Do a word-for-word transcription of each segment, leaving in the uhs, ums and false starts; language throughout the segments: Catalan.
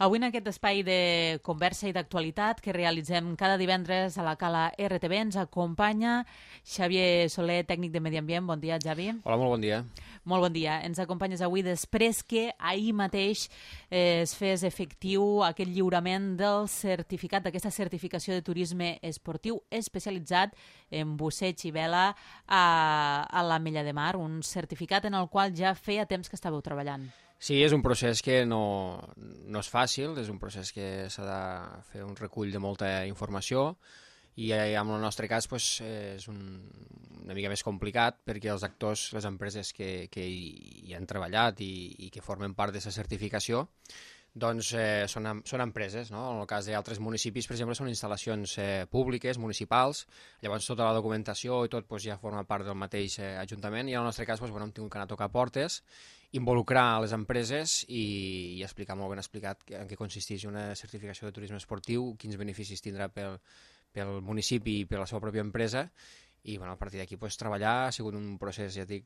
Avui en aquest espai de conversa i d'actualitat que realitzem cada divendres a la Cala R T V ens acompanya Xavier Soler, tècnic de Medi Ambient. Bon dia, Xavi. Hola, molt bon dia. Molt bon dia. Ens acompanyes avui després que ahir mateix eh, es fes efectiu aquest lliurament del certificat, d'aquesta certificació de turisme esportiu especialitzat en busseig i vela a, a l'Ametlla de Mar, un certificat en el qual ja feia temps que estàveu treballant. Sí, és un procés que no, no és fàcil, és un procés que s'ha de fer un recull de molta informació i en el nostre cas pues, és un, una mica més complicat perquè els actors, les empreses que, que hi, hi han treballat i, i que formen part d'aquesta certificació doncs eh, són, són empreses, no? En el cas d'altres municipis, per exemple, són instal·lacions eh, públiques, municipals, llavors tota la documentació i tot pues, ja forma part del mateix eh, ajuntament i en el nostre cas pues, bueno, hem tingut que anar a tocar portes, involucrar les empreses i, i explicar molt ben explicat en què consisteix una certificació de turisme esportiu, quins beneficis tindrà pel, pel municipi i per la seva pròpia empresa i bueno, a partir d'aquí pues, treballar ha sigut un procés, ja dic,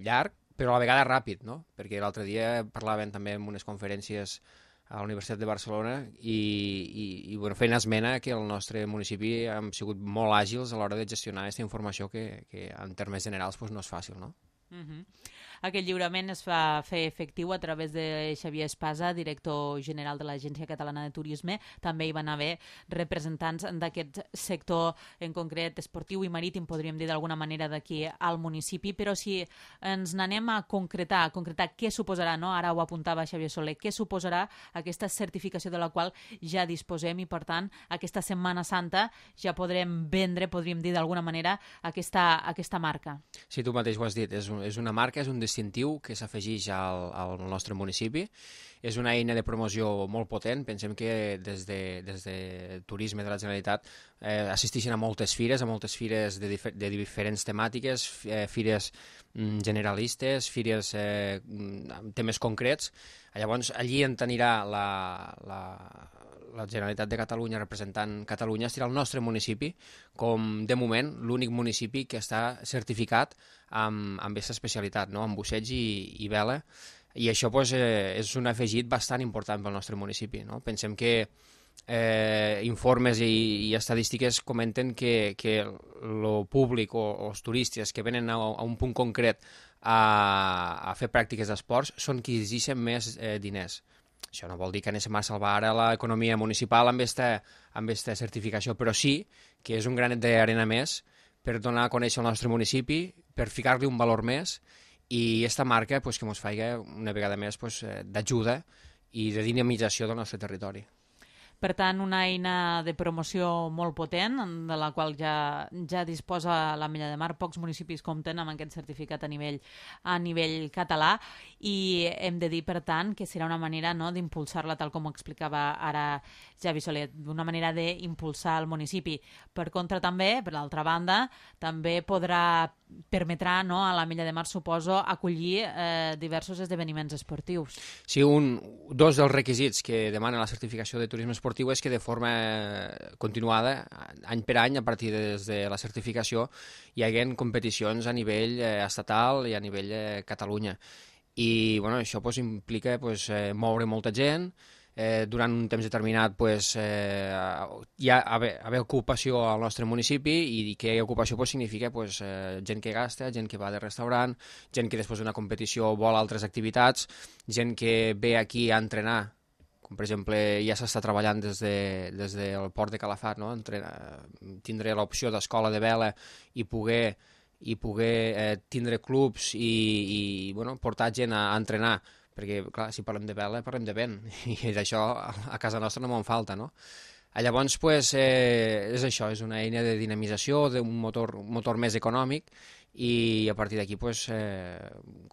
llarg, però a la vegada ràpid, no? Perquè l'altre dia parlaven també en unes conferències a la Universitat de Barcelona i, i, i bueno, feien esmena que el nostre municipi hem sigut molt àgils a l'hora de gestionar aquesta informació que, que en termes generals pues, no és fàcil, no? Uh-huh. Aquest lliurament es va fer efectiu a través de Xavier Espasa, director general de l'Agència Catalana de Turisme. També hi van haver representants d'aquest sector, en concret esportiu i marítim, podríem dir d'alguna manera, d'aquí al municipi, però si ens n'anem a concretar, a concretar què suposarà, no? Ara ho apuntava Xavier Soler, què suposarà aquesta certificació de la qual ja disposem i, per tant, aquesta Setmana Santa ja podrem vendre, podríem dir d'alguna manera, aquesta, aquesta marca. Sí, tu mateix ho has dit, és, un, és una marca, és un distintiu que s'afegeix al, al nostre municipi. És una eina de promoció molt potent. Pensem que des de, des de Turisme de la Generalitat eh, assisteixen a moltes fires, a moltes fires de, difer de diferents temàtiques, eh, fires mm, generalistes, fires eh, amb temes concrets. Llavors, allí en tenirà la, la, la Generalitat de Catalunya representant Catalunya, serà el nostre municipi com, de moment, l'únic municipi que està certificat amb, amb aquesta especialitat, no? Amb busseig i, i vela, i això pues, eh, és un afegit bastant important pel nostre municipi, no? Pensem que eh, informes i, i estadístiques comenten que, que el públic o, o els turistes que venen a, a un punt concret a, a fer pràctiques d'esports són qui exigeixen més eh, diners. Això no vol dir que anem a salvar ara l'economia municipal amb aquesta, amb aquesta certificació, però sí que és un granet d'arena més per donar a conèixer el nostre municipi, per ficar-li un valor més i aquesta marca pues, que ens faci una vegada més pues, d'ajuda i de dinamització del nostre territori. Per tant, una eina de promoció molt potent, de la qual ja, ja disposa l'Ametlla de Mar. Pocs municipis compten amb aquest certificat a nivell, a nivell català i hem de dir, per tant, que serà una manera, no, d'impulsar-la, tal com ho explicava ara Xavi Soler, d'una manera d'impulsar el municipi. Per contra, també, per l'altra banda, també podrà permetrà, no, a l'Ametlla de Mar, suposo, acollir eh, diversos esdeveniments esportius. Sí, un, dos dels requisits que demana la certificació de turisme esportiu és que de forma continuada, any per any, a partir de, de la certificació, hi haguem competicions a nivell eh, estatal i a nivell eh, Catalunya. I bueno, això pues, implica pues, eh, moure molta gent, Eh, durant un temps determinat pues, eh, hi ha haver, haver ocupació al nostre municipi i que hi ha ocupació pues, significa pues, eh, gent que gasta, gent que va de restaurant, gent que després d'una competició vol altres activitats, gent que ve aquí a entrenar, com per exemple ja s'està treballant des, de, des del port de Calafat, no? Entrenar, tindre l'opció d'escola de vela i poder, i poder eh, tindre clubs i, i bueno, portar gent a, a entrenar, perquè, clar, si parlem de vela, parlem de vent, i d'això a casa nostra no me'n falta, no? Llavors, pues, eh, és això, és una eina de dinamització, d'un motor, un motor més econòmic, i a partir d'aquí, pues, eh,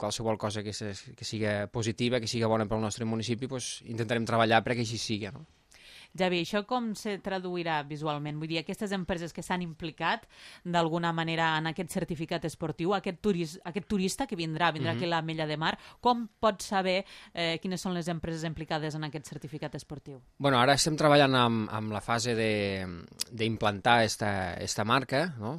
qualsevol cosa que, se, que sigui positiva, que sigui bona pel nostre municipi, pues, intentarem treballar perquè així sigui, no? Javi, això com se traduirà visualment? Vull dir, aquestes empreses que s'han implicat d'alguna manera en aquest certificat esportiu, aquest, turis, aquest turista que vindrà, vindrà mm-hmm. aquí a l'Ametlla de Mar, com pot saber eh, quines són les empreses implicades en aquest certificat esportiu? Bueno, ara estem treballant amb, amb la fase d'implantar esta, esta marca, no?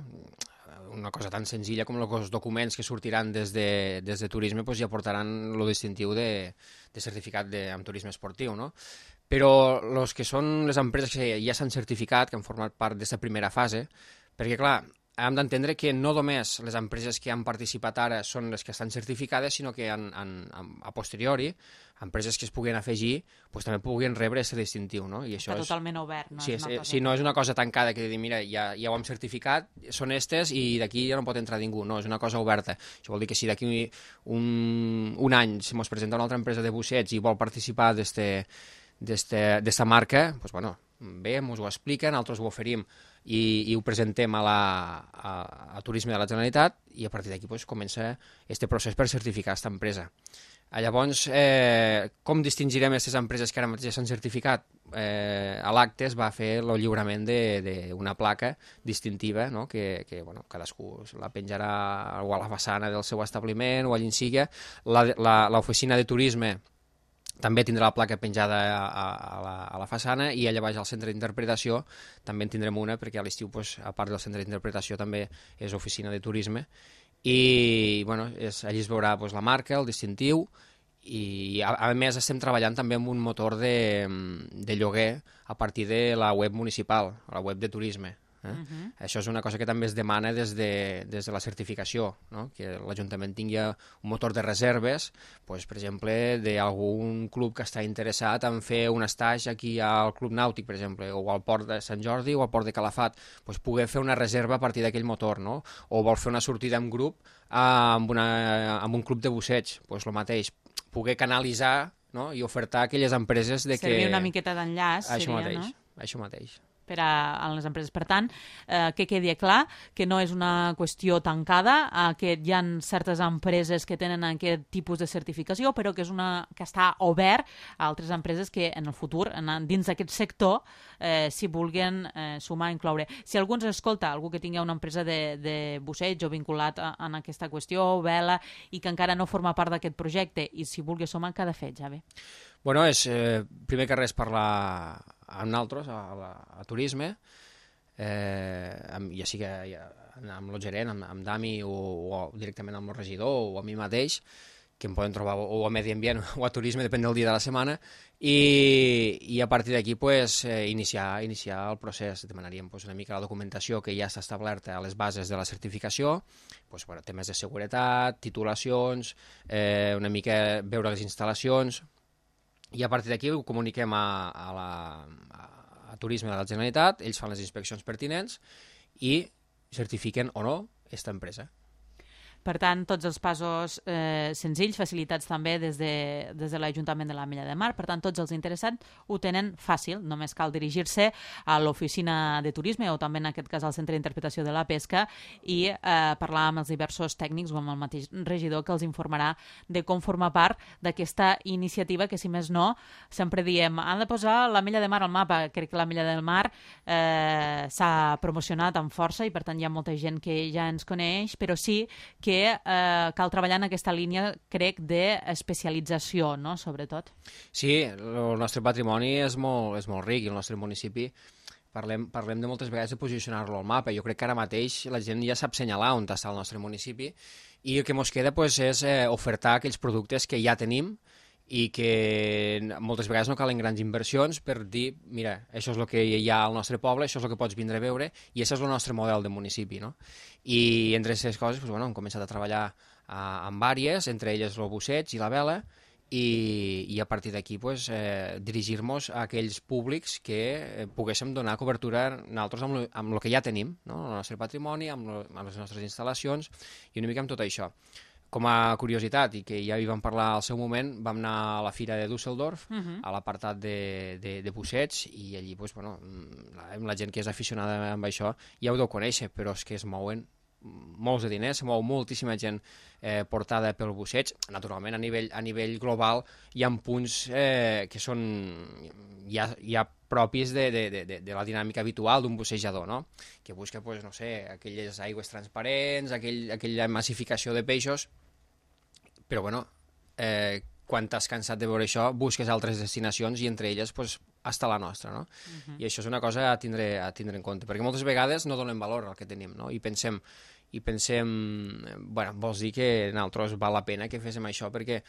Una cosa tan senzilla com els documents que sortiran des de, des de turisme pues ja portaran el distintiu de, de certificat de, amb turisme esportiu, no? però els que són les empreses que ja s'han certificat, que han format part d'aquesta primera fase, perquè, clar, hem d'entendre que no només les empreses que han participat ara són les que estan certificades, sinó que en, en, a posteriori, empreses que es puguin afegir, doncs també puguin rebre aquest distintiu, no? I això Està és... totalment obert, no? Sí, és és, sí, no és una cosa tancada que dir, mira, ja, ja ho hem certificat, són estes i d'aquí ja no pot entrar ningú, no, és una cosa oberta. Això vol dir que si d'aquí un, un any si ens presenta una altra empresa de bussets i vol participar d'esta marca, doncs, bueno, bé, ens ho expliquen, nosaltres ho oferim i, i ho presentem a, la, a, a Turisme de la Generalitat i a partir d'aquí pues, comença aquest procés per certificar aquesta empresa. Llavors, eh, com distingirem aquestes empreses que ara mateix s'han certificat? Eh, a l'acte es va fer el lliurament d'una placa distintiva, no? que, que bueno, cadascú la penjarà o a la façana del seu establiment o allà en siga. L'oficina de turisme també tindrà la placa penjada a, a, la, a la façana i allà baix al centre d'interpretació també en tindrem una perquè a l'estiu, pues, a part del centre d'interpretació, també és oficina de turisme i bueno, és, allí es veurà pues, la marca, el distintiu i a, a més estem treballant també amb un motor de, de lloguer a partir de la web municipal, la web de turisme. Eh? Uh-huh. Això és una cosa que també es demana des de, des de la certificació, no? Que l'Ajuntament tingui un motor de reserves, pues, per exemple, d'algun club que està interessat en fer un estatge aquí al Club Nàutic, per exemple, o al Port de Sant Jordi o al Port de Calafat, pues, poder fer una reserva a partir d'aquell motor, no? O vol fer una sortida en grup eh, amb, una, amb un club de busseig, pues, el mateix, poder canalitzar, no? I ofertar a aquelles empreses de que... Servir una miqueta d'enllaç, això seria, mateix, no? Això mateix. Per a, a les empreses. Per tant, eh, que quedi clar que no és una qüestió tancada, eh, que hi ha certes empreses que tenen aquest tipus de certificació, però que és una que està obert a altres empreses que en el futur, en, dins d'aquest sector, eh, s'hi vulguin eh, sumar, incloure. Si algú ens escolta, algú que tingui una empresa de, de busseig o vinculat a, a aquesta qüestió, vela, i que encara no forma part d'aquest projecte i s'hi vulgui sumar, què ha de fer, Javi? Bueno, és eh, primer que res parlar amb nosaltres, a, a, a turisme, eh, amb, ja sigui ja, amb el gerent, amb, amb Dami o, o directament amb el regidor o a mi mateix, que em poden trobar o a Medi Ambient o a Turisme, depèn del dia de la setmana, i, i a partir d'aquí pues, eh, iniciar, iniciar el procés. Demanaríem pues, una mica la documentació que ja està establerta a les bases de la certificació, pues, bueno, temes de seguretat, titulacions, eh, una mica veure les instal·lacions, i a partir d'aquí ho comuniquem a, a, la, a, a Turisme de la Generalitat, ells fan les inspeccions pertinents i certifiquen o no aquesta empresa. Per tant, tots els passos eh, senzills, facilitats també des de, des de l'Ajuntament de l'Ametlla de Mar. Per tant, tots els interessats ho tenen fàcil. Només cal dirigir-se a l'oficina de turisme o també, en aquest cas, al centre d'interpretació de la pesca i eh, parlar amb els diversos tècnics o amb el mateix regidor que els informarà de com formar part d'aquesta iniciativa que, si més no, sempre diem, han de posar l'Ametlla de Mar al mapa. Crec que l'Ametlla del Mar eh, s'ha promocionat amb força i, per tant, hi ha molta gent que ja ens coneix, però sí que que eh, cal treballar en aquesta línia, crec, d'especialització, no?, sobretot. Sí, el nostre patrimoni és molt, és molt ric i el nostre municipi parlem, parlem de moltes vegades de posicionar-lo al mapa. Jo crec que ara mateix la gent ja sap assenyalar on està el nostre municipi i el que ens queda pues, és eh, ofertar aquells productes que ja tenim i que moltes vegades no calen grans inversions per dir, mira, això és el que hi ha al nostre poble, això és el que pots vindre a veure i això és el nostre model de municipi, no? I entre aquestes coses, doncs, bueno, hem començat a treballar uh, amb vàries, entre elles el busseig i la vela, i, i a partir d'aquí pues, eh, dirigir-nos a aquells públics que eh, poguéssim donar cobertura nosaltres amb, lo, amb el que ja tenim, no? El nostre patrimoni, amb, lo, amb les nostres instal·lacions i una mica amb tot això. Com a curiositat, i que ja hi vam parlar al seu moment, vam anar a la fira de Düsseldorf, uh-huh. a l'apartat de, de, de busseig, i allí pues, bueno, la, la gent que és aficionada amb això ja ho deu conèixer, però és que es mouen molts de diners, se mou moltíssima gent eh, portada pel busseig. Naturalment, a nivell, a nivell global hi ha punts eh, que són ja, ja propis de, de, de, de la dinàmica habitual d'un bussejador, no? Que busca, pues, no sé, aquelles aigües transparents, aquell, aquella massificació de peixos, però bueno, eh, quan t'has cansat de veure això, busques altres destinacions i entre elles pues, està la nostra, no? Uh-huh. I això és una cosa a tindre, a tindre en compte, perquè moltes vegades no donem valor al que tenim, no? I pensem, i pensem, bueno, vols dir que nosaltres val la pena que féssim això perquè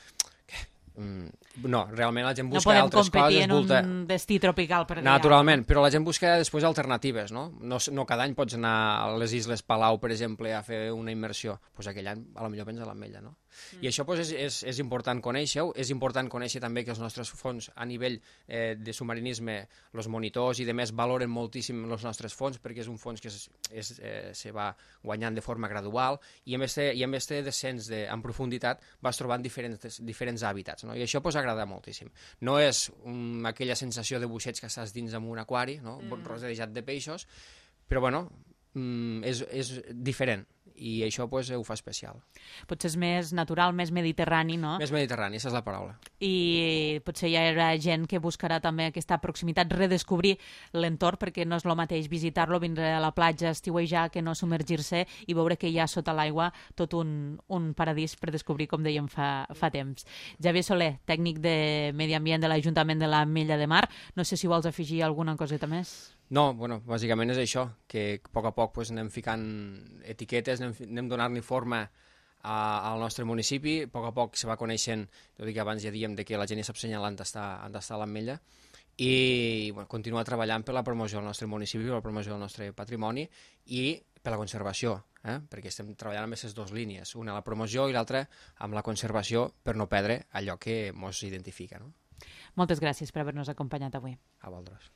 mm, no, realment la gent No busca podem altres competir coses. en Volta... un destí tropical per allà. Naturalment, però la gent busca després alternatives, no? No, no cada any pots anar a les Isles Palau, per exemple, a fer una immersió. Doncs pues aquell any, a lo millor vens a l'Ametlla, no? Mm. I això pues, és, és, és important conèixer-ho, és important conèixer també que els nostres fons a nivell eh, de submarinisme, els monitors i de més valoren moltíssim els nostres fons, perquè és un fons que es, es, eh, se va guanyant de forma gradual i en este, i en este descens de, en profunditat vas trobant diferents, diferents hàbitats, no? I això pues, agrada moltíssim. No és um, aquella sensació de buixeig que estàs dins d'un aquari, no? Mm. Rodejat de peixos, però bueno, mm, és, és diferent i això pues, ho fa especial. Potser és més natural, més mediterrani, no? Més mediterrani, aquesta és la paraula. I potser hi haurà gent que buscarà també aquesta proximitat, redescobrir l'entorn, perquè no és el mateix visitar-lo, vindre a la platja, estiuejar, que no submergir-se i veure que hi ha sota l'aigua tot un, un paradís per descobrir, com dèiem fa, fa temps. Javier Soler, tècnic de Medi Ambient de l'Ajuntament de l'Ametlla de Mar, no sé si vols afegir alguna coseta més? No, bueno, bàsicament és això, que a poc a poc pues, anem ficant etiquetes, anem, anem donant-li forma a, al nostre municipi, a poc a poc se va coneixent, tot i que abans ja dèiem de que la gent ja sap senyalar on està, on està l'Ametlla, i bueno, continuar treballant per la promoció del nostre municipi, per la promoció del nostre patrimoni i per la conservació, eh? Perquè estem treballant amb aquestes dues línies, una la promoció i l'altra amb la conservació per no perdre allò que ens identifica. No? Moltes gràcies per haver-nos acompanyat avui. A vosaltres.